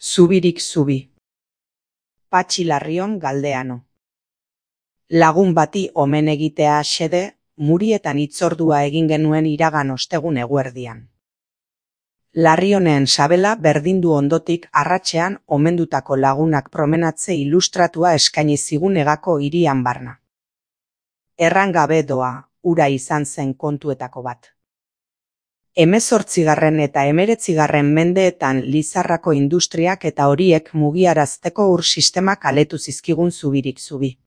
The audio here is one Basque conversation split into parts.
Zubirik zubi. Patxi Larrion Galdeano. Lagun bati omen egitea xede, Murietan hitzordua egin genuen iragan ostegun eguerdian. Larrionen sabela berdindu ondotik arratsean omendutako lagunak promenatze ilustratua eskaini zigun Egako hirian barna. Erran gabe doa, hura izan zen kontuetako bat. 18. eta 19. mendeetan Lizarrako industriak eta horiek mugiarazteko ur sistemak aletu zizkigun zubirik zubi.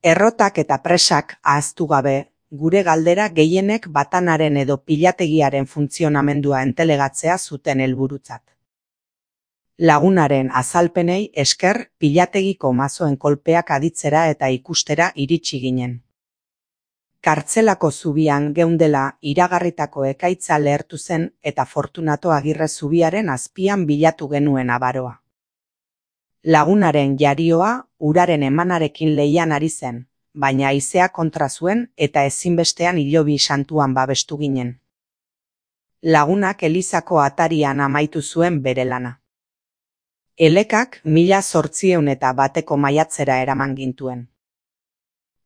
Errotak eta presak ahaztu gabe, gure galdera gehienek batanaren edo pilategiaren funtzionamendua entelegatzea zuten helburutzat. Lagunaren azalpenei esker pilategiko mazoen kolpeak aditzera eta ikustera iritsi ginen. Kartzelako zubian geundela iragarritako ekaitza lehertu zen eta Fortunato Agirre zubiaren azpian bilatu genuen abaroa. Lagunaren jarioa uraren emanarekin leian ari zen, baina haizea kontra zuen eta ezinbestean Hilobi santuan babestu ginen. Lagunak elizako atarian amaitu zuen bere lana. Elekak 1801 maiatzera eraman gintuen.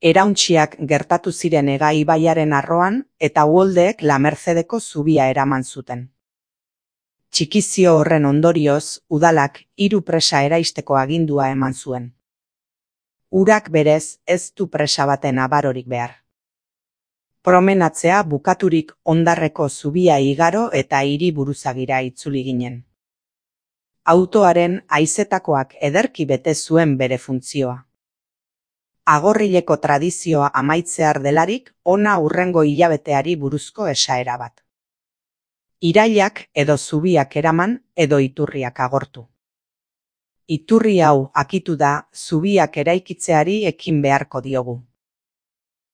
Erauntxiak gertatu ziren Ega ibaiaren arroan eta uholdeek La Mercedeko zubia eraman zuten. Txikizio horren ondorioz, udalak 3 presa eraisteko agindua eman zuen. Urak berez ez du presa baten abarorik behar. Promenatzea bukaturik Ondarreko zubia igaro eta hiri buruzagira itzuli ginen. Autoaren haizetakoak ederki bete zuen bere funtzioa. Agorrileko tradizioa amaitzear delarik, ona hurrengo hilabeteari buruzko esaera bat. Irailak edo zubiak eraman edo iturriak agortu. Iturri hau akitu da zubiak eraikitzeari ekin beharko diogu.